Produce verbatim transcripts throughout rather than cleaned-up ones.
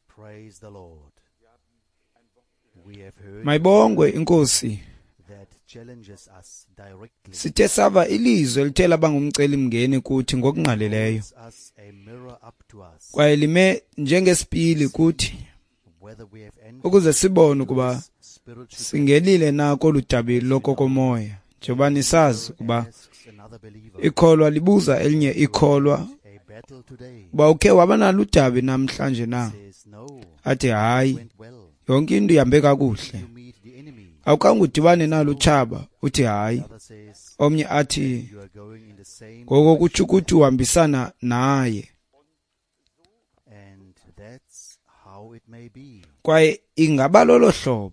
Praise the Lord. We have heard Mayibongwe inkosi. that challenges us directly, Sithe sava ilizwi elithe laba ngumcelimngeni kuthi ngokungqalileyo, holds us a mirror up to us, kwaye lime njengesipili kuthi whether we have entered ukuze sibone ukuba this spiritual singenile na kolu dabi lokokomoya. Njengoba nisazi ukuba asks another believer ikholwa libuza elinye ikholwa a battle today, uba ukhe waba nalo udabi namhlanje na, says no, athi hayi, went well. yonke into ihambe kakuhle. You meet the enemy. Awukhange udibane nalo utshaba, uthi hayi. The other says Omnye athi you are going in the same ngoko kutsho ukuthi uhambisana naye. and that's how it may be. Kwaye ingaba lolo hlobo.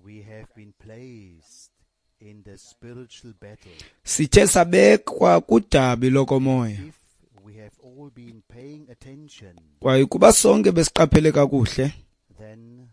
We have been placed in the spiritual battle. Sithe sabekwa kudabi lokomoya. If we have all been paying attention, Kwaye kuba sonke besiqaphele kakuhle, then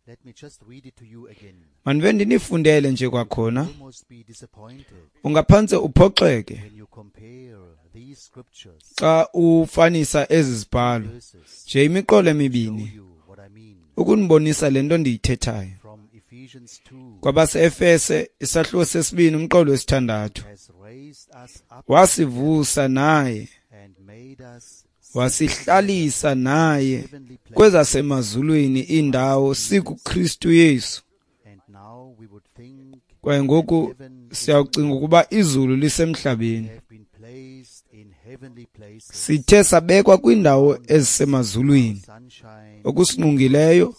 let me just read it to you again. mandibe ndinifundele nje kwakhona. Almost be disappointed Ungaphantse uphoxeke when you compare these scriptures xa ufanisa ezi zibhalo verses nje imiqolo show emibini you what I mean. ukunibonisa le nto ndiyithethayo. From Ephesians two Kwabase-Efese isahluko sesibini umqolo wesithandathu, has raised us up wasivusa naye and made us wasihlalisa naye heavenly places. kwezasemazulwini indawo sikuKristu Yesu. And now we would think Kwaye ngoku heaven is siyawucinga ukuba izulu lisemhlabeni. have been placed in heavenly places. Sithe sabekwa kwiindawo ezisemazulwini. Sunshine Okusingqongileyo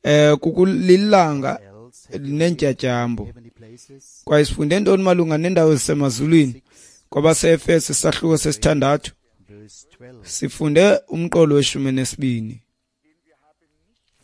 eh kukulilanga else have lineentyatyambo. heavenly places. Kwaye sifunde ntoni malunga neendawo ezisemazulwini? Kwabase-Efese isahluko sesithandathu Verse twelve. sifunde umqolo weshumi nesibini.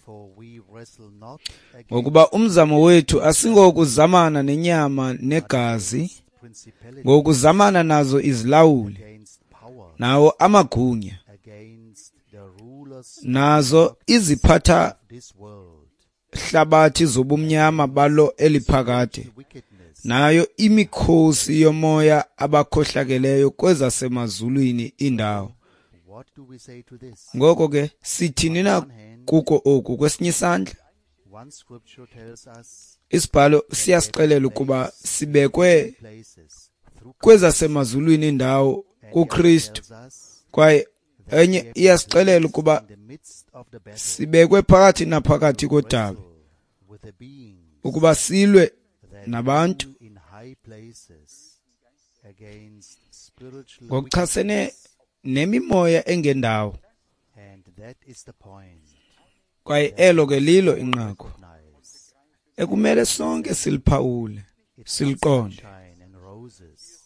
For we wrestle not against Ngokuba umzamo wethu asingokuzamana nenyama negazi, principalities, ngokuzamana nazo izilawuli, against power, nawo amagunya, against the rulers nazo iziphatha of this world, hlabathi zobumnyama balo eliphakade, wickedness nayo imikhosi yomoya abakhohlakeleyo kwezasemazulwini indawo. What do we say to this? Ngoko ke sithini na kuko oku? Kwesinye isandla One scripture tells us isibhalo siyasixelela ukuba sibekwe places through kwezasemazulwini indawo kuKristu, tells us kwaye enye iyasixelela ukuba in the midst of the battle sibekwe phakathi naphakathi kodabi with the beings ukuba silwe that nabantu rule in high places against spiritual ngokuchasene nemimoya engendawo. and that is the point. Kwaye elo ke lilo inqaku Recognize ekumele sonke siliphawule siliqonde. sunshine and roses.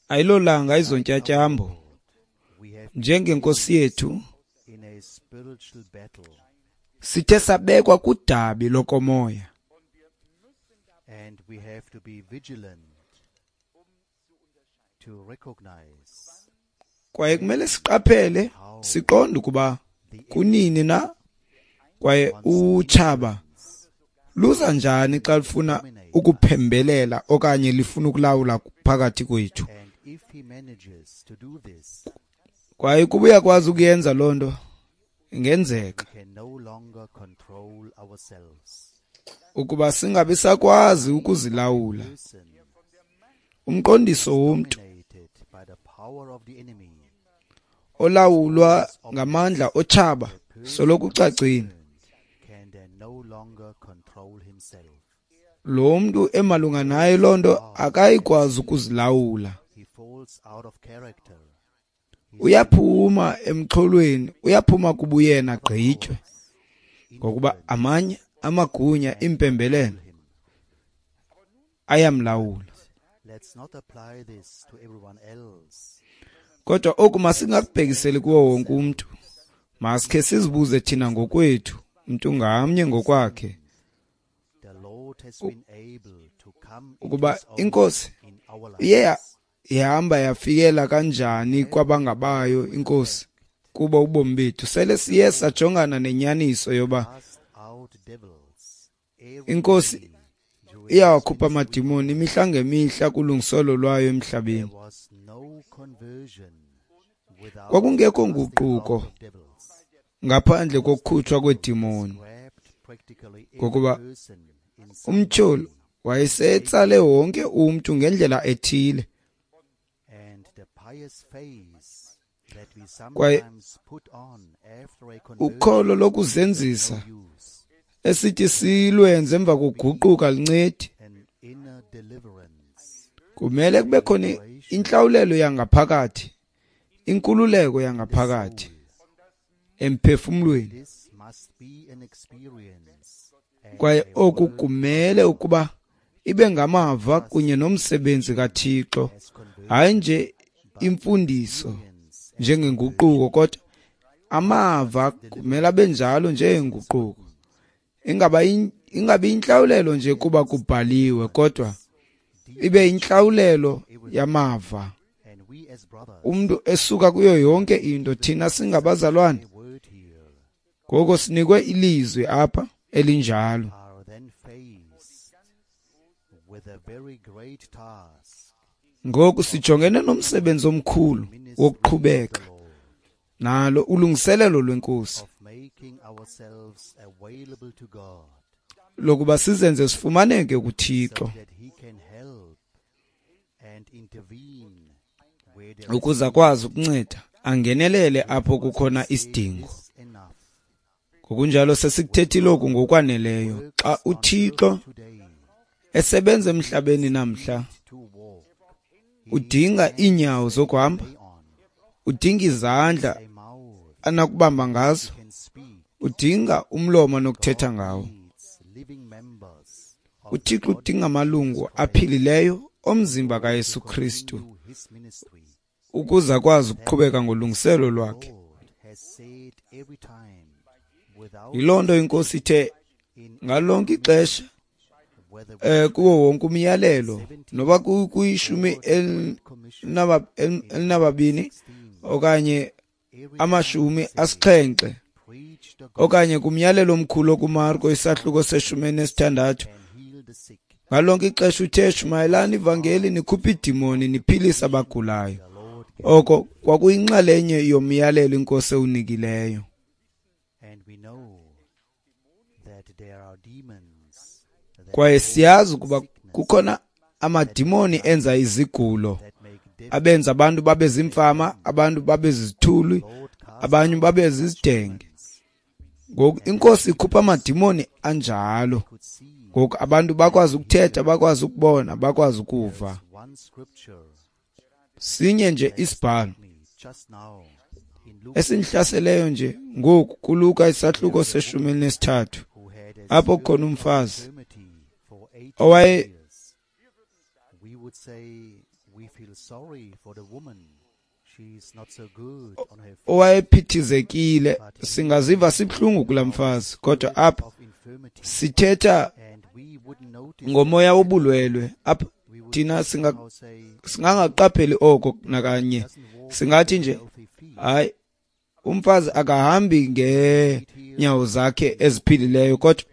Ayilolanga izontyatyambo. We have Njengenkosi yethu in a spiritual battle sithe sabekwa kudabi lokomoya, and we have to be vigilant to recognize kwaye kumele siqaphele siqonde ukuba kunini na kwaye utshaba luza njani xa lufuna ukuphembelela okanye lifuna ukulawula phakathi kwethu. and if he manages to do this Kwaye kuba uyakwazi ukuyenza loo nto, ingenzeka we can no longer control ourselves. ukuba singabi sakwazi ukuzilawula. Person Umqondiso womntu dominated by the power of the enemy olawulwa ngamandla otshaba soloko ucacile. can then no longer control himself. Lo mntu emalunga naye loo nto akayikwazi ukuzilawula. He falls out of character. Uyaphuma emxholweni, uyaphuma kubuyena gqitywe, ngokuba amanye amagunya impembelelo ayamlawula. Let's not apply this to everyone else. Kodwa oku masingakubhekiseli kuwo wonke umntu. Masikhe sizibuze thina ngokwethu, mntu ngamnye ngokwakhe, The Lord has been able to come into ukuba his own inkosi in our iye lives. ihamba yafikela kanjani kwabangabayo inkosi kubo ubomi bethu. Sele siye sajongana nenyaniso yoba Cast out devils every inkosi day during iyawakhupha amadimoni imihla ngemihla kulungisolo lwayo emhlabeni. There was no conversion Kwakungekho nguquko ngaphandle kokukhutshwa kweedimoni, ngokuba umtyholi wayesetsale wonke umntu ngendlela ethile. Kwaye ukholo lokuzenzisa esithi silwenze emva kokuguquka lincedi. Kumele kube khona intlawulelo yangaphakathi, inkululeko yangaphakathi emphefumlweni. Kwaye oku kumele ukuba ibe ngamava kunye nomsebenzi kaThixo, hayi nje imfundiso njengenguquko, kodwa amava kumele abe njalo njengenguquko. Ingaba ingabi intlawulelo nje kuba kubhaliwe, kodwa ibe intlawulelo yamava. Umntu esuka kuyo yonke into, thina singabazalwane, ngoko sinikwe ilizwi apha elinjalo. Ngoku sijongene nomsebenzi omkhulu wokuqhubeka nalo ulungiselelo lweNkosi lokuba sizenze sifumaneke kuThixo, ukuze akwazi ukunceda angenelele apho kukhona isidingo. Ngokunjalo sesikuthethile oku ngokwaneleyo. Xa uThixo esebenza emhlabeni namhla, udinga iinyawo zokuhamba, udinga izandla anakubamba ngazo, udinga umlomo anokuthetha ngawo. UThixo udinga amalungu aphilileyo omzimba kaYesu Kristu ukuze akwazi ukuqhubeka ngolungiselo lwakhe. Yiloo nto iNkosi ithe ngalonke ixesha eh kuwo wonke umyalelo, noba kuyishumi elinababini okanye amashumi asixhenxe, okanye kumyalelo omkhulu kuMarko isahluko seshumi elinesithandathu, ngalonke ixesha uthe shumayelani ivangeli, nikhuphe iidimoni, niphilise abagulayo. Oko kwakuyinxalenye yomyalelo iNkosi ewunikileyo. Kwaye siyazi ukuba kukhona amadimoni enza izigulo, abenza abantu babe zimfama, abantu babe zizithulu, abanye babe zizidenge. Ngoku iNkosi ikhupha amadimoni anjalo. Ngoku abantu bakwazi ukuthetha, bakwazi ukubona, bakwazi ukuva. Sinye nje isibhalo esindihlaseleyo nje ngoku kuLuka isahluko seshumi elinesithathu, apho kukhona umfazi owaye owayephithizekile. Singaziva sibuhlungu kulaa mfazi, kodwa apha sithetha ngomoya wobulwelwe. Apha thina singa singangaqapheli oko nakanye. Singathi nje hayi, umfazi akahambi ngeenyawo zakhe eziphilileyo, kodwa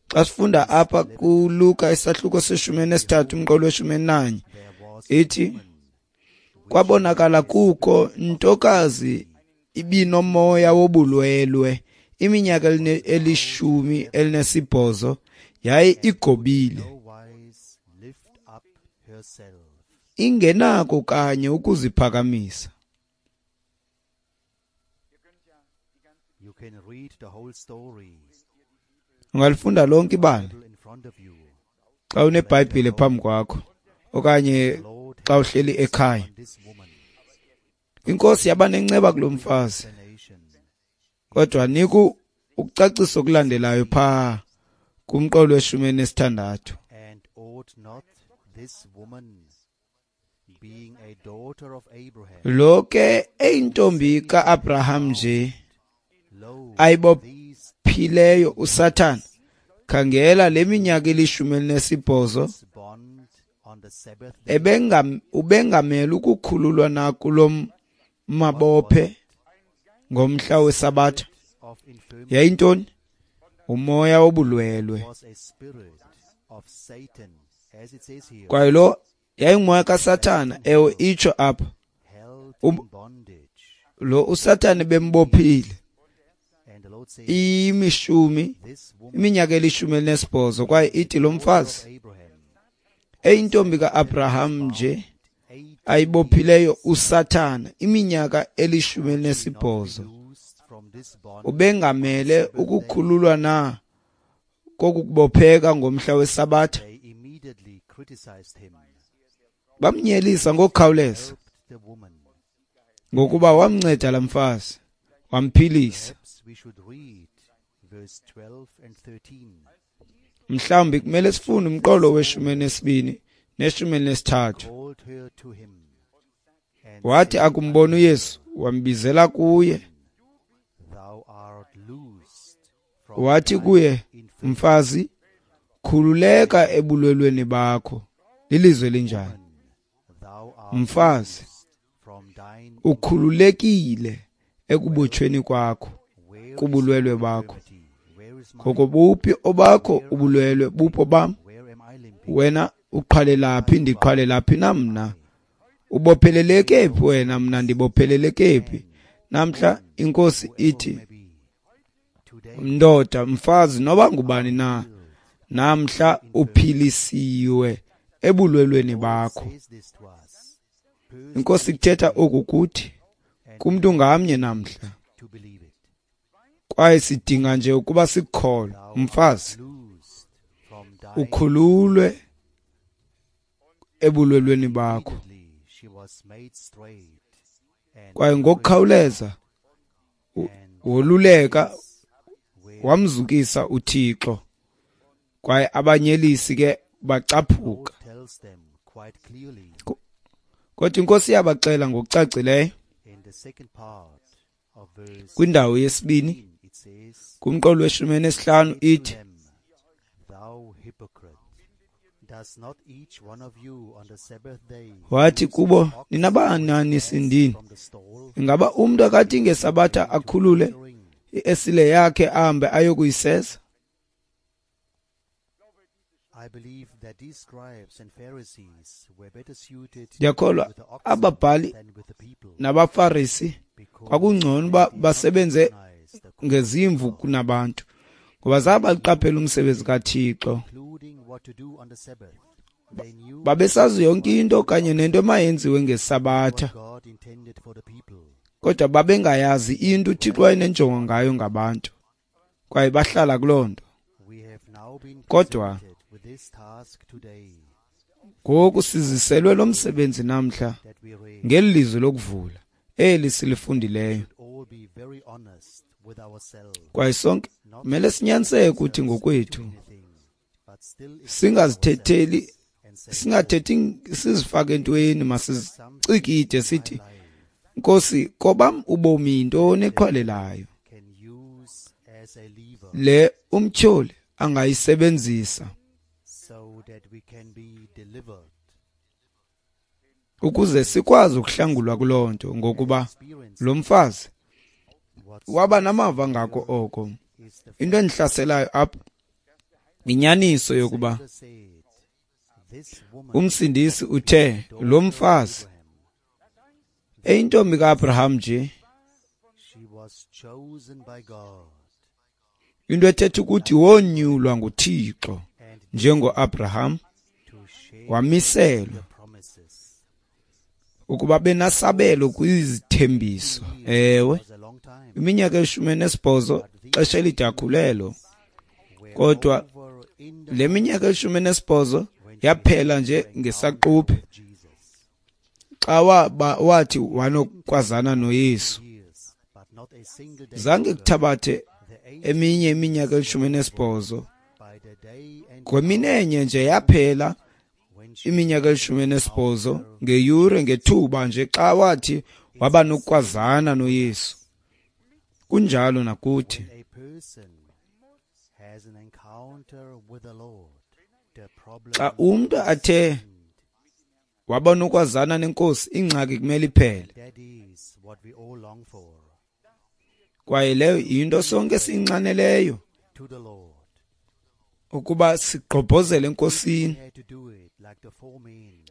xa sifunda apha kuLuka isahluko seshumi elinesithathu umqolo weshumi elinanye, ithi kwabonakala kukho ntokazi ibinomoya wobulwelwe iminyaka elishumi elinesibhozo, yaye igobile, ingenako kanye ukuziphakamisa. Ungalifunda lonke ibali xa uneBhayibhile phambi kwakho okanye xa uhleli ekhaya. Inkosi yaba nenceba kulo mfazi, kodwa niku ukucacisa okulandelayo phaa kumqolo weshumi elinesithandathu. Lo ke eyintombi ka-Abraham nje ayibophileyo uSathana, khangela le minyaka elishumi elinesibhozo ubengamele ukukhululwa na kulo mabophe ngomhla weSabatha. Yayintoni? Umoya wobulwelwe. Kwaye lo yayingumoya kaSathana, ewe itsho apha, Lo uSathane bembophile imishumi iminyaka elishumi elinesibhozo, kwaye ithi lo mfazi eyintombi ka-Abraham nje ayibophileyo uSathana iminyaka elishumi elinesibhozo, ubengamele ukukhululwa na kokukubopheka ngomhla weSabatha? Bamnyelisa ngokukhawuleza ngokuba wamnceda la mfazi, wamphilisa. Mhlawumbi kumele sifunde umqolo weshumi elinesibini neshumi elinesithathu. Wathi akumbona uYesu, wambizela kuye, wathi kuye, mfazi, khululeka ebulwelweni bakho. Lilizwe elinjani? Mfazi, ukhululekile ekubotshweni kwakho, kubulwelwe bakho. Ngoko buphi obakho ubulwelwe, bupho bam? Wena uqhwalelaphi, ndiqhwalelaphi na mna? Ubopheleleke phi wena, mna ndibopheleleke phi? Namhla inkosi ithi, ndoda, mfazi, noba ngubani na, namhla uphilisiwe ebulwelweni bakho. Inkosi kuthetha oku kuthi kumntu ngamnye namhla, kwaye sidinga nje ukuba sikukholwe. Mfazi, ukhululwe ebulwelweni bakho. Kwaye ngokukhawuleza woluleka, wamzukisa uThixo. Kwaye abanyelisi ke bacaphuka. Kodwa inkosi yabaxela ngokucacileyo kwindawo yesibini kumqolo weshumi enesihlanu ithi, wathi kubo, ninabanani sindini? Ingaba umntu akathi ngeSabatha akhulule iesile yakhe ahambe ayokuyiseza? Ndiyakholwa ababhali nabaFarisi kwakungcono uba basebenze ngezimvu kunabantu, ngoba zabaqaphela umsebenzi kaThixo. Babesazi yonke into kanye nento emayenziwe ngeSabatha, kodwa babengayazi into uThixo wayenenjongo ngayo ngabantu, kwaye bahlala kuloo nto. Kodwa ngoku siziselwe lo msebenzi namhla ngeli lizwi lokuvula eli silifundileyo, kwaye sonke kumele sinyaniseke ukuthi ngokwethu singazithetheli, singathethi sizifake entweni, masizicikide sithi, Nkosi, kobam ubomi yintoni eqhwalelayo le umtyholi angayisebenzisa ukuze sikwazi ukuhlangulwa kuloo nto, ngokuba lo mfazi waba namava ngako oko. Into endihlaselayo apha inyaniso yokuba uMsindisi uthe lo mfazi eyintombi ka-Abraham nje, into ethetha ukuthi wonyulwa nguThixo njengo-Abraham, wamiselwa ukuba benasabelo kwizithembiso. Ewe, iminyaka elishumi enesibhozo xesha elide akhulelo, kodwa le minyaka elishumi enesibhozo yaphela nje ngesaquphe xa wathi wanokwazana noYesu. Zange kuthabathe eminye iminyaka elishumi enesibhozo, kweminenye nje yaphela iminyaka elishumi enesibhozo ngeyure, ngethuba nje xa wathi waba nokwazana noYesu. Kunjalo nakuthi. Xa umntu athe waba nokwazana nenkosi, ingxaki kumele iphele. Kwaye leyo yinto sonke esiyinxaneleyo, ukuba sigqobhozele enkosini.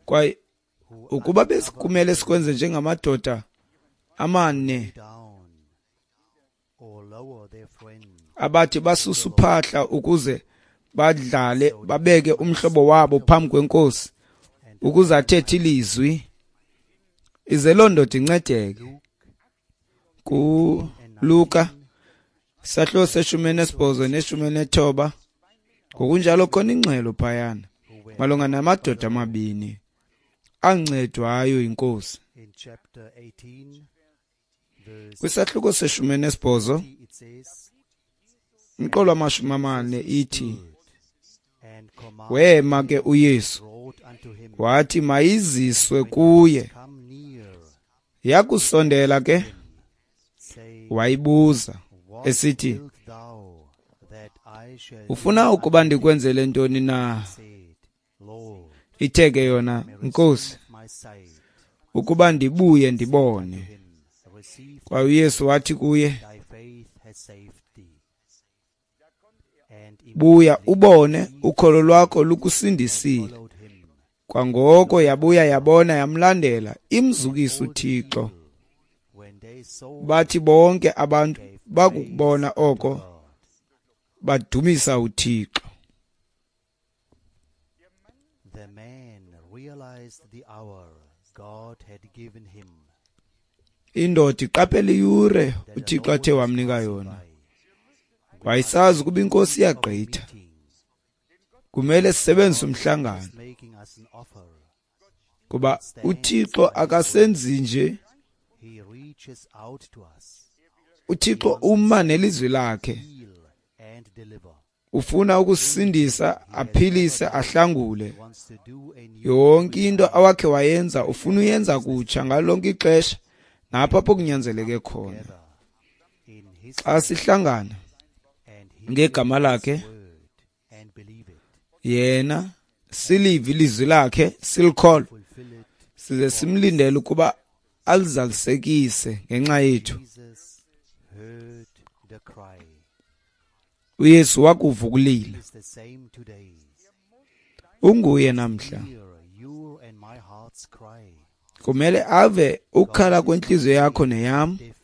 Kwaye ukuba besikumele sikwenze njengamadoda amane down or lower their friend abathi basusa uphahla ukuze badlale babeke umhlobo wabo phambi kwenkosi ukuze athethe ilizwi ize loo ndoda incedeke. KuLuka isahluko seshumi nesibhozo neshumi nethoba ngokunjalo khona ingxelo phayana malunga namadoda amabini ancedwayo yinkosi. in chapter eighteen verse Kwisahluko seshumi nesibhozo thirty, it says, umqolo wamashumi amane ithi and commanded wema ke uYesu brought unto him wathi mayiziswe kuye. come near Yakusondela ke say wayibuza what esithi wilt thou that I shall do ufuna ukuba ndikwenzele ntoni na? said Lord Ithe ke yona, Nkosi, my sight ukuba ndibuye ndibone. him receive Kwaye uYesu wathi kuye, thy faith has saved thee and buya ubone, ukholo lwakho lukusindisile. followed him Kwangoko yabuya yabona yamlandela, imzukisa uThixo. when they saw Bathi bonke abantu bakubona oko God badumisa uThixo. the man realized the hour God had given him Indoda iqaphela iyure that the uThixo Lord athe was wamnika passing yona. by. Wayesazi ukuba inkosi iyagqitha, Meeting kumele sisebenzise umhlangano is making us an offer. kuba uThixo akasenzi nje. He reaches out to us, uThixo uma nelizwi lakhe, heal and deliver. ufuna ukusindisa, aphilise, ahlangule. He wants to do a new Yonke into awakhe wayenza ufuna uyenza kutsha ngalo lonke ixesha napho apho kunyanzeleke khona. together in his Xa sihlangana and hear ngegama lakhe word and believe it, yena silive ilizwi lakhe silikholwe fulfill it. size simlindele ukuba alizalisekise ngenxa yethu. Jesus heard the cry. uYesu wakuva ukulila. He is the same today. Unguye namhla. Hear your and my heart's cry. Kumele ave ukukhala kwenhliziyo yakho neyam. Deaf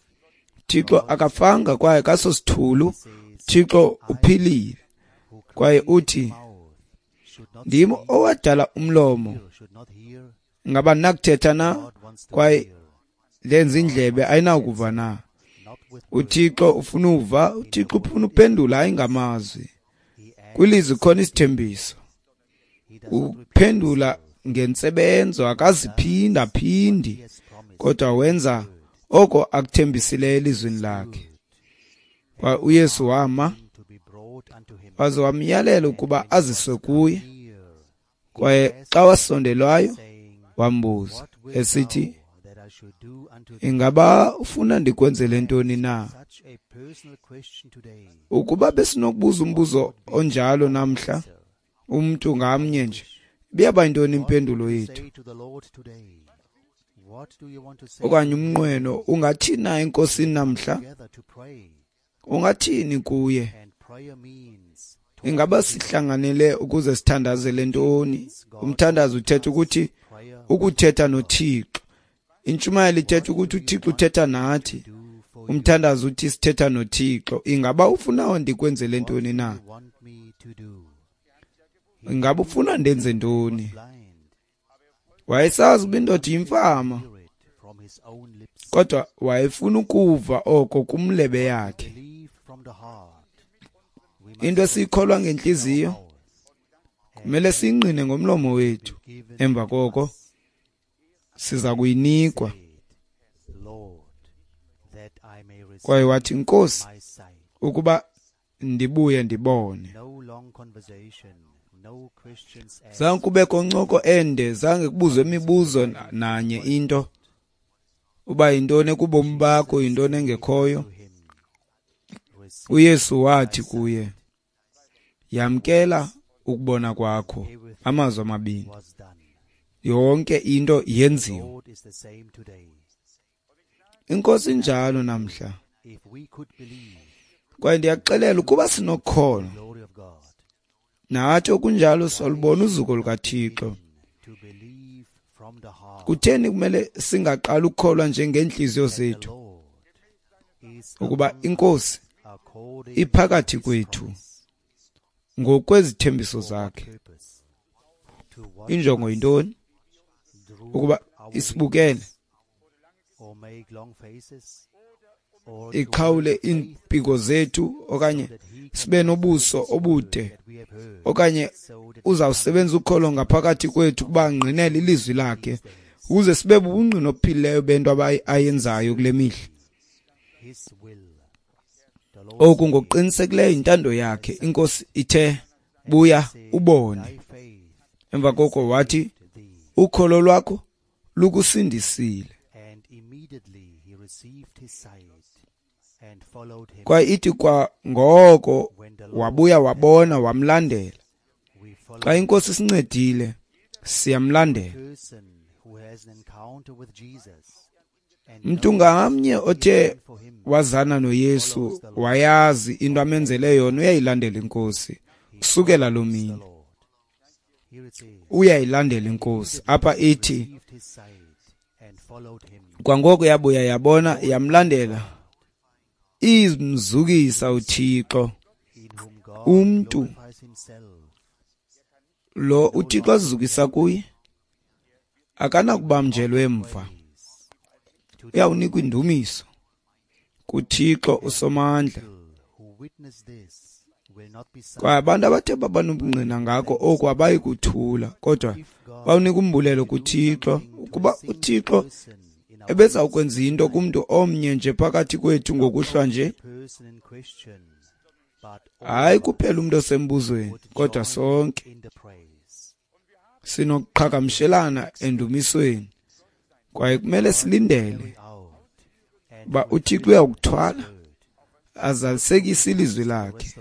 Thixo akafanga kwaye kasosithulu. says, Thixo uphilile who kwaye created uthi the mouth should not ndim speak, owadala umlomo, ear should not hear. ngaba ndinakuthetha na? God wants to Kwaye hear, ndenza indlebe ayinakuva na? not with words. uThixo ufuna uva, uThixo ufuna uphendula hayi ngamazwi. He acts, Kwilizwi khona isithembiso. he does not repeat Uphendula ngentsebenzo, akaziphinda phindi, He has promised. kodwa wenza oko akuthembisileyo elizwini lakhe. Kwa uYesu wama to be brought unto him. waze wamyalela ukuba aziswe kuye, Near, kwaye xa wasondelwayo saying, wambuza What wilt esithi, thou that I should do unto thee? ingaba ufuna ndikwenzele ntoni na? Such a personal question today. Ukuba besinokubuza umbuzo onjalo namhla, umntu ngamnye nje, ibiyaba yintoni impendulo yethu? Say to the Lord today. What do you want to say Okanye umnqweno ungathini na enkosini namhla? together to pray? Ungathini kuye? And prayer means Ingaba sihlanganele ukuze sithandazele ntoni? Umthandazo uthetha ukuthi prayer ukuthetha noThixo. Intshumayelo ithetha ukuthi uThixo uthetha nathi. do for Umthandazo uthi sithetha noThixo. Ingaba ufuna ndikwenzele ntoni na? you want me to do. Ingaba ufuna ndenze ntoni? Blind, Wayesazi ukuba indoda yimfama, hear it from his own lips. kodwa wayefuna ukuva oko kumlebe yakhe. Believe from the heart. We must Into esiyikholwa ngentliziyo mouth kumele siyingqine ngomlomo wethu. given Emva koko siza kuyinikwa. said, Lord, that I may receive Kwaye wathi, Nkosi, my sight. ukuba ndibuye ndibone. No long conversation, no questions asked. Zange kubekho ncoko ende, zange kubuzwe imibuzo na- nanye into uba yintoni ekubomi bakho, yintoni engekhoyo. To him. Receive uYesu wathi kuye, yamkela ukubona kwakho. Amazwi amabini, was done. yonke into yenziwe. Lord is the same today. Inkosi injalo namhla. If we could believe Kwaye ndiyakuxelela ukuba sinokholo the glory of God, nathi okunjalo solubona uzuko lukaThixo. to believe Kutheni kumele singaqali ukukholwa nje ngeentliziyo zethu ukuba iNkosi iphakathi kwethu ngokwezithembiso zakhe? Injongo yintoni? Ukuba isibukele, iqhawule iimpiko zethu, okanye sibe nobuso obude, okanye uzawusebenza ukholo ngaphakathi kwethu ukuba angqinele ilizwi lakhe, ukuze sibe bubungqina obuphilileyo bento ayenzayo kule mihla. Oku ngokuqinisekileyo yintando yakhe. INkosi ithe, buya ubone. Emva koko wathi, ukholo lwakho lukusindisile. Kwaye ithi kwa ngoko wabuya wabona, wamlandela. Xa iNkosi sincedile, siyamlandela. Mntu ngamnye othe wazana noYesu, wayazi into amenzele yona, uyayilandela iNkosi kusukela loo mini. Uyayilandela iNkosi. Apha ithi kwangoko yabuya yabona, yamlandela. Imzukisa uThixo. Umntu lo uThixo azizukisa kuye akanakubamjelwa emva. Uyawunikwa indumiso kuThixo uSomandla. Kwaye abantu abathe babanobungqina ngako oku abayi kuthula, kodwa bawunika umbulelo kuThixo, ukuba uThixo ebeza ukwenza into kumntu omnye nje phakathi kwethu ngokuhlwa nje, hayi kuphela umntu osembuzweni, kodwa sonke sinokuqhagamshelana endumisweni. Kwaye kumele silindele uba uThixo uyakuthwala azalisekise ilizwi lakhe.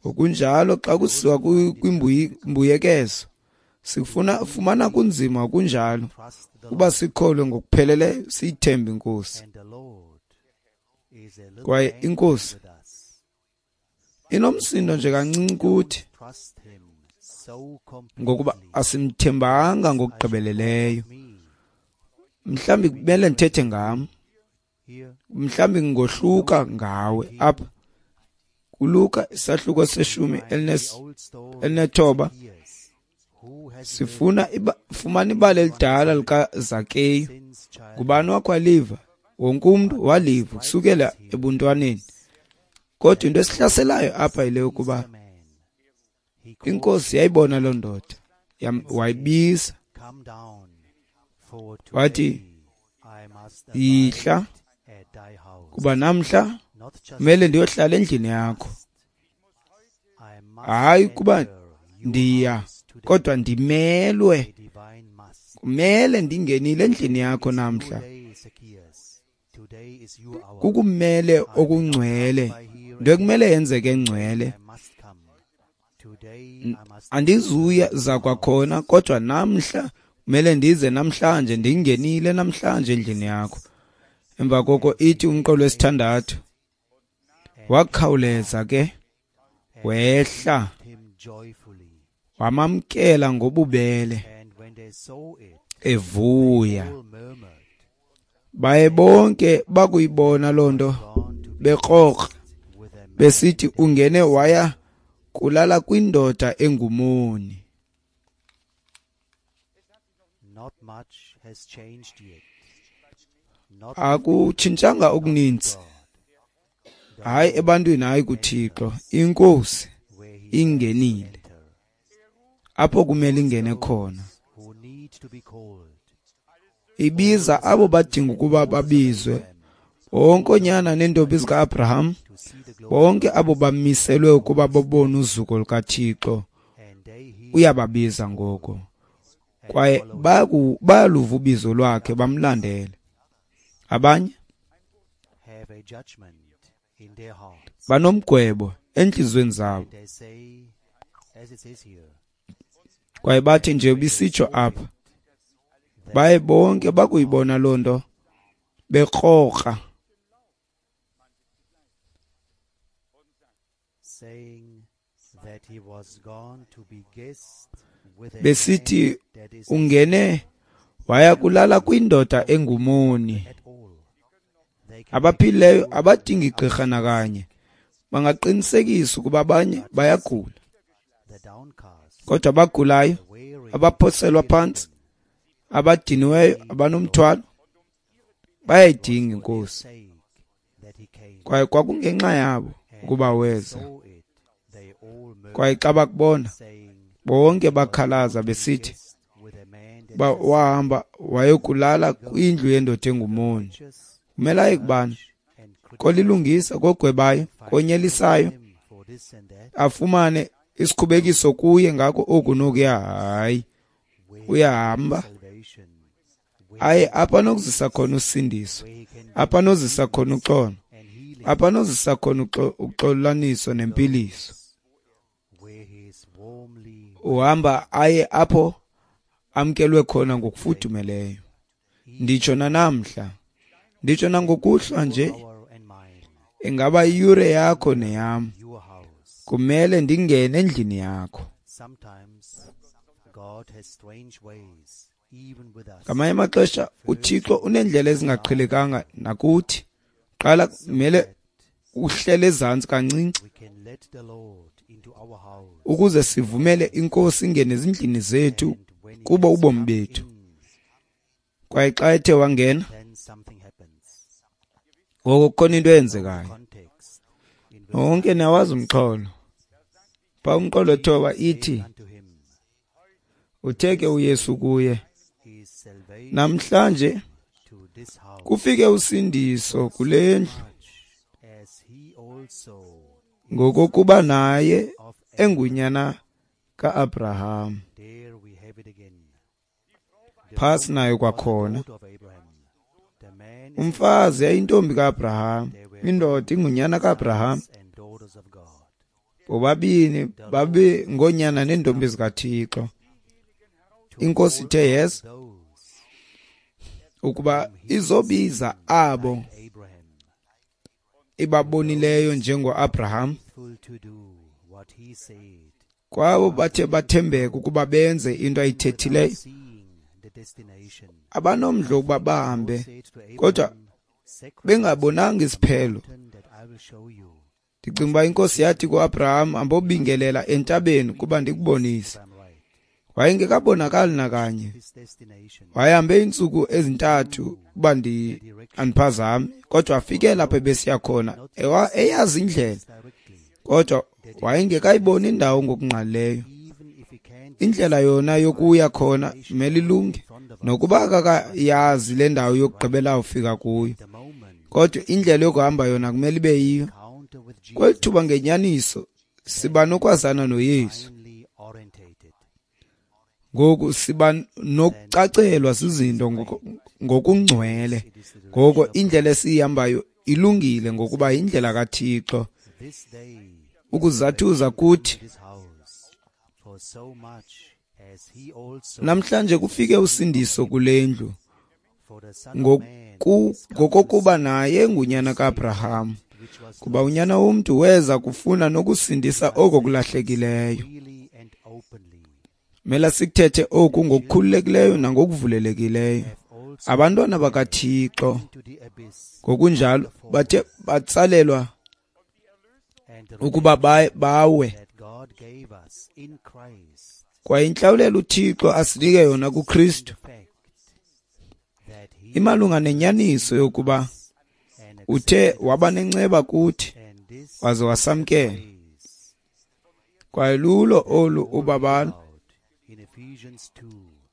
Ngokunjalo xa kusiwa kwimbuyekezo, sifuna fumana kunzima kunjalo uba sikholwe ngokupheleleyo, siyithembe iNkosi. Kwaye iNkosi inomsindo nje kancinci kuthi, ngokuba asimthembanga ngokugqibeleleyo. Mhlawumbi kumele ndithethe ngam, mhlawumbi ngohluka ngawe. Apha kuLuka isahluko seshumi elinethoba sifuna iba, fumana ibali elidala likaZakeyu. Ngubani wakho waliva? Wonke umntu waliva kusukela ebuntwaneni. Kodwa into esihlaselayo apha yile yokuba iNkosi yayibona loo ndoda, wayibiza wathi, yihla, kuba namhla kumele ndiyohlala endlini yakho. Hayi kuba ndiya, kodwa ndimelwe, kumele ndingenile endlini yakho namhla. Kukumele okungcwele, into ekumele yenzeke engcwele. Andizuya zakwakhona, kodwa namhla kumele ndize namhlanje, ndingenile namhlanje endlini yakho. Emva koko ithi umqolo wesithandathu, wakhawuleza ke wehla, wamamkela ngobubele evuya. Baye bonke bakuyibona loo nto bekrokra, besithi ungene waya kulala kwindoda engumoni. Akutshintshanga okuninzi, hayi ebantwini, hayi kuThixo. INkosi ingenile apho kumele ingene khona. Ibiza abo badinga ukuba babizwe, bonke oonyana neentombi zika-Abraham, bonke abo bamiselwe ukuba babone uzuko lukaThixo, uyababiza ngoko. Kwaye bayaluva ubizo lwakhe, bamlandele. Abanye banomgwebo entliziyweni zabo, kwaye bathi nje bisitsho apha, baye bonke bakuyibona loo nto bekrokra, besithi ungene Waya kulala kwindoda engumoni. Abaphilileyo abadingi gqirha nakanye. Bangaqinisekisa ukuba abanye bayagula. Kodwa abagulayo, abaphoselwa phantsi, abadiniweyo, abanomthwalo, bayayidinga iNkosi. Kwaye kwakungenxa yabo ukuba weza. Kwaye xa bakubona, bonke bakhalaza besithi, uba wahamba wayokulala kwindlu yendoda engumoni. Kumele aye kubani? Kolilungisa, kogwebayo, konyelisayo, afumane isikhubekiso kuye ngako oku nokuya. Hayi, uyahamba aye apha anokuzisa khona usindiso, apha anozisa khona uxolo, apha anozisa khona uxolaniso nempiliso. Uhamba aye apho amkelwe khona ngokufudumeleyo. Nditsho nanamhla, nditsho nangokuhlwa nje, ingaba iyure yakho neyam. Kumele ndingene endlini yakho. Ngamanye amaxesha uThixo uneendlela ezingaqhelekanga nakuthi. Qala kumele uhlele ezantsi kancinci ukuze sivumele iNkosi ingene ezindlini zethu kubo ubomi bethu. Kwaye xa ethe wangena, ngoko kukhona into eyenzekayo. Nonke niyawazi umxholo. Phaa umqolo thoba ithi, uthe ke uYesu kuye, namhlanje kufike usindiso kule ndlu, ngokokuba naye engunyana ka-Abraham. Phasi nayo kwakhona. Umfazi yayintombi ka-Abraham, indoda ingunyana ka-Abraham. Bobabini babe ngoonyana neentombi zikaThixo. INkosi ithe yes ukuba izobiza abo ibabonileyo njengo-Abraham, kwabo bathe bathembeka ukuba benze into ayithethileyo, abanomdla ukuba bahambe kodwa bengabonanga isiphelo. Ndicinga uba iNkosi yathi ku-Abraham, ambobingelela entabeni kuba ndikubonise. Wayengekabonakali nakanye. Wayehambe iintsuku ezintathu uba ndi andiphazami, kodwa afike lapho ebesiya khona eyazi indlela, kodwa wayengekayiboni indawo ngokungqalileyo. Indlela yona yokuya khona imele ilunge, nokuba akakayazi le ndawo yokugqibela ufika kuyo, kodwa indlela yokuhamba yona kumele ibe yiyo. Kweli thuba ngenyaniso siba nokwazana noYesu. Ngoku siba nokucacelwa zizinto ngokungcwele. Ngoko indlela esiyihambayo ilungile ngokuba yindlela kaThixo. Ukuzathuza kuthi namhlanje kufike usindiso kule ndlu, ngokokuba naye ngunyana ka-Abraham, kuba unyana womntu weza kufuna nokusindisa oko kulahlekileyo. Mela sikuthethe oku ngokukhululekileyo nangokuvulelekileyo. Abantwana bakaThixo ngokunjalo bathe batsalelwa ukuba bawe. Kwaye intlawulelo uThixo asinike yona kuKristu imalunga nenyaniso yokuba uthe waba nenceba kuthi waze wasamkela. Kwaye lulo olu ubabalo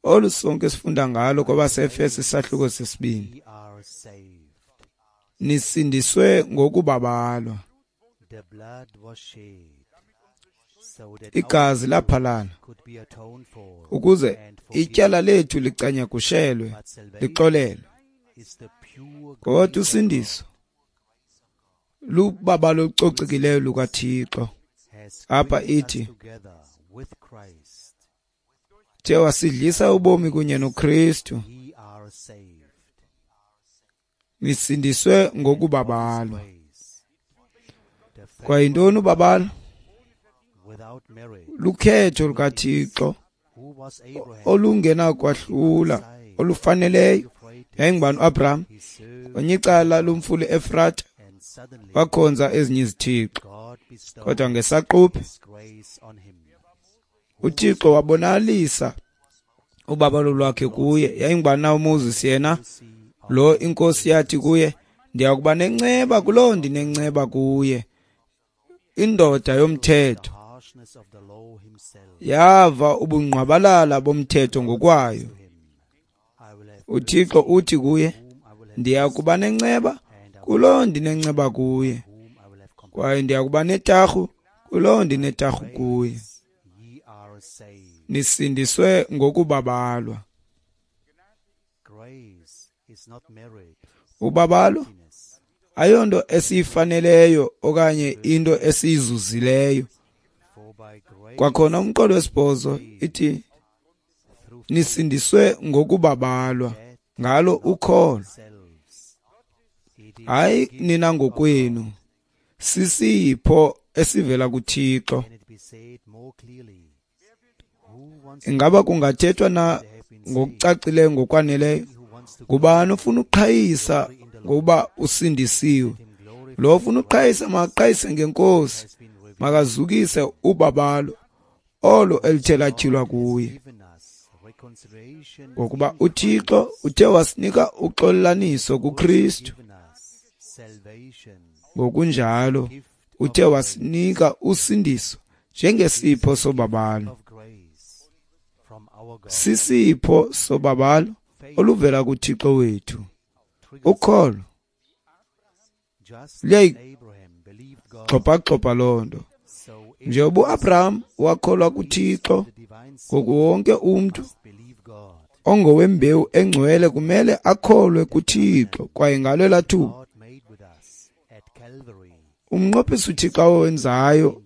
olu sonke sifunda ngalo kwabaseEfeso isahluko sesibini. Nisindiswe ngokubabalwa. Igazi laphalala ukuze ityala lethu licanyagushelwe, lixolelwe. Kodwa usindiso lubabalo olucocekileyo lukaThixo. Apha ithi uthe wasidlisa ubomi kunye noKristu, nisindiswe ngokubabalwa. Kwaye yintoni ubabalo? Lukhetho lukaThixo olungenakwahlula olufaneleyo. Yayingubani uAbraham? Kwenye icala lomfula Efrata wakhonza ezinye izithixo, kodwa ngesaquphe uThixo wabonakalisa ubabalo lwakhe kuye. Yayingubani na uMoses yena? Lo inkosi yathi kuye, ndiyakuba nenceba kuloo ndinenceba kuye. Indoda yomthetho yava ubungqwabalala bomthetho ngokwayo. uThixo uthi kuye, ndiyakuba nenceba kuloo ndinenceba kuye, kwaye ndiyakuba netarhu kuloo ndinetarhu kuye. Nisindiswe ngokubabalwa. Ubabalo ayonto esiyifaneleyo okanye into esiyizuzileyo. Kwakhona umqolo wesibhozo ithi nisindiswe ngokubabalwa ngalo ukholo, hayi nina ngokwenu, sisipho esivela kuThixo. Ingaba kungathethwa na ngokucacileyo ngokwaneleyo? Ngubani ofuna uqhayisa ngokuba usindisiwe? Lo ofuna uqhayisa makaqhayise ngenkosi, makazukise ubabalo olo elithe latyhilwa kuye. Ngokuba uThixo uthe wasinika uxolelaniso kuKristu, ngokunjalo uthe wasinika usindiso njengesipho sobabalo. Sisipho sobabalo oluvela kuThixo wethu. Ukholo luyayigxobhagxobha loo nto. Njengoba uAbraham wakholwa kuThixo, ngoku wonke umntu ongowembewu engcwele kumele akholwe kuThixo, kwaye ngalo elaa thuba umnqophiso uThixo awenzayo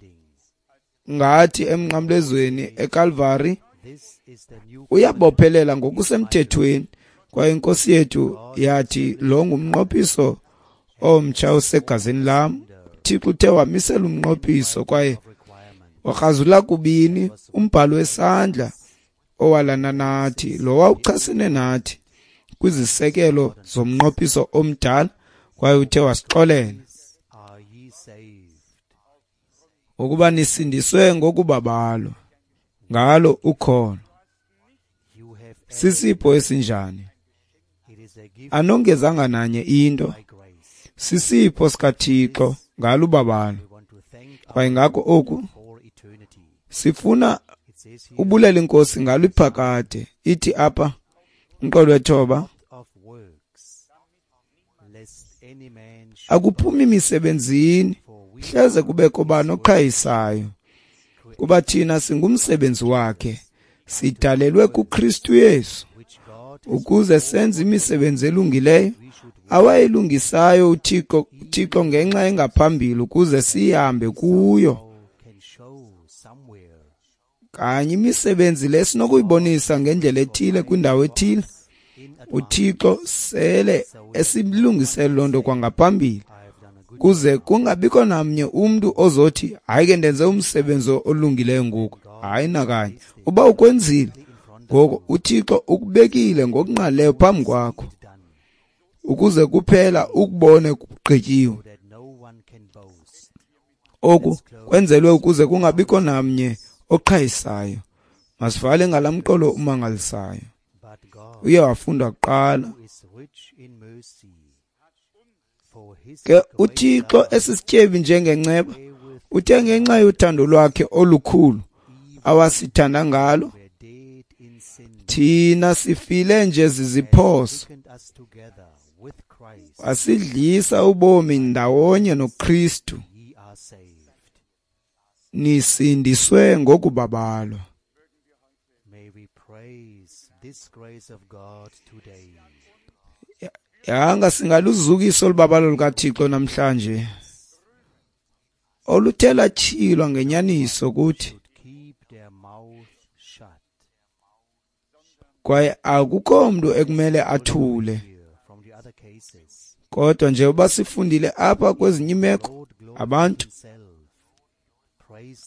ngathi emnqamlezweni eKalvari uyabophelela ngokusemthethweni, kwaye inkosi yethu yathi lo ngumnqophiso omtsha osegazini lam. uThixo uthe wamisela umnqophiso kwaye wakrazula kubini umbhalo wesandla owalana nathi, lo wawuchasene nathi kwizisekelo zomnqophiso omdala, kwaye uthe wasixolela ukuba nisindiswe ngokubabalwa ngalo ukholo. Sisipho esinjani? Anongezanga nanye into, sisipho sikaThixo ngalo ubabalo. Kwaye ngako oku sifuna ubulela inkosi ngalo iphakade. Ithi apha umqolo wethoba, akuphumi misebenzini hleze kubekho bani oqhayisayo, kuba thina singumsebenzi wakhe, sidalelwe kuKristu Yesu ukuze senze imisebenzi elungileyo awayilungisayo uThixo uThixo ngenxa engaphambili ukuze sihambe kuyo. Kanye imisebenzi le sinokuyibonisa ngendlela ethile kwindawo ethile, uThixo sele esilungisele loo nto kwangaphambili, kuze kungabikho namnye umntu ozothi hayi ke ndenze umsebenzi olungileyo ngoku. Hayi nakanye, uba ukwenzile ngoko uThixo ukubekile ngokungqalileyo phambi kwakho ukuze kuphela ukubone kugqityiwe. Oku kwenzelwe ukuze kungabikho namnye oqhayisayo. Masivale ngala mqolo umangalisayo uye wafunda kuqala. Ke uThixo esisityebi njengenceba uthe ngenxa yothando lwakhe olukhulu awasithanda ngalo, thina sifile nje ziziphoso, wasidlisa ubomi ndawonye noKristu, nisindiswe ngokubabalwa. Yanga singaluzukisa olubabalo lukaThixo namhlanje oluthe latyhilwa ngenyaniso kuthi, kwaye akukho mntu ekumele athule. Kodwa njengoba sifundile apha kwezinye imeko, abantu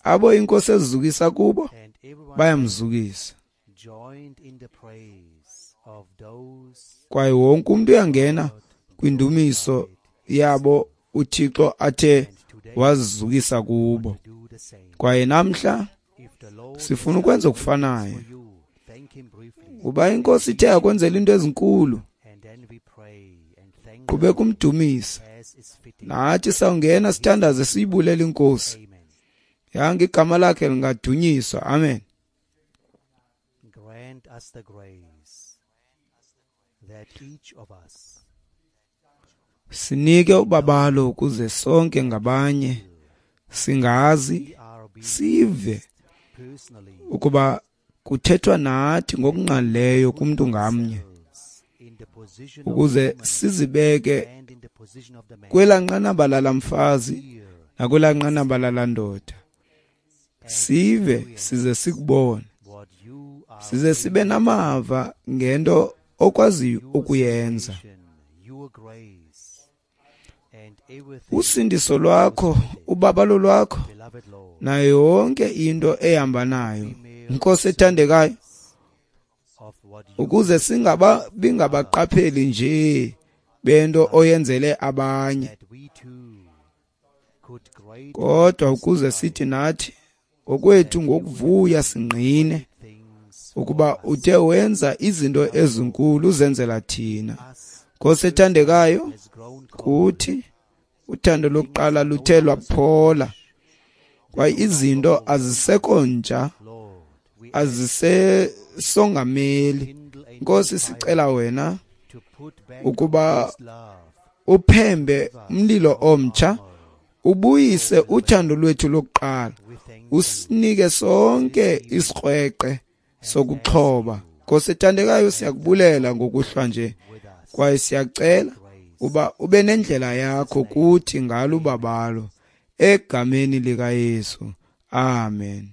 abo inkosi ezizukisa kubo bayamzukisa. Kwaye wonke umntu uyangena kwindumiso yabo uThixo athe wazizukisa kubo. Kwaye namhla sifuna ukwenza okufanayo. Uba iNkosi ithe yakwenzela into ezinkulu, qhubeka umdumisa. Nathi sawungena sithandaze siyibulele iNkosi. Yanga igama lakhe lingadunyiswa. Amen. Grant us the grace that each of us Sinike ubabalo ukuze sonke ngabanye singazi sive personally ukuba kuthethwa nathi ngokungqalileyo kumntu ngamnye, in the position of ukuze sizibeke and in the position of the man kwelaa nqanaba lala mfazi here nakwelaa nqanaba lala ndoda. Sive size sikubone, what you are size sibe namava ngento okwaziyo ukuyenza. salvation, your grace and everything, Usindiso lwakho, ubabalo lwakho, beloved Lord, nayo yonke into ehamba nayo, Nkosi ethandekayo, of what you ukuze singaba bingabaqapheli nje bento oyenzele abanye, that we too could great kodwa ukuze sithi nathi ngokwethu ngokuvuya singqine things ukuba uthe wenza izinto ezinkulu uzenzela thina. us Nkosi ethandekayo, has grown cold kuthi uthando lokuqala luthe lwaphola, kwaye izinto azisekho ntsha, Lord, we azisesongameli. kindle a Nkosi, sicela wena to put back ukuba this love uphembe umlilo omtsha, ubuyise uthando lwethu lokuqala, we thank you usinike sonke isikrweqe sokuxhoba. Nkosi ethandekayo, siyakubulela ngokuhlwa nje, with us kwaye siyacela uba ube nendlela yakho kuthi ngalo ubabalo, egameni likaYesu. Amen.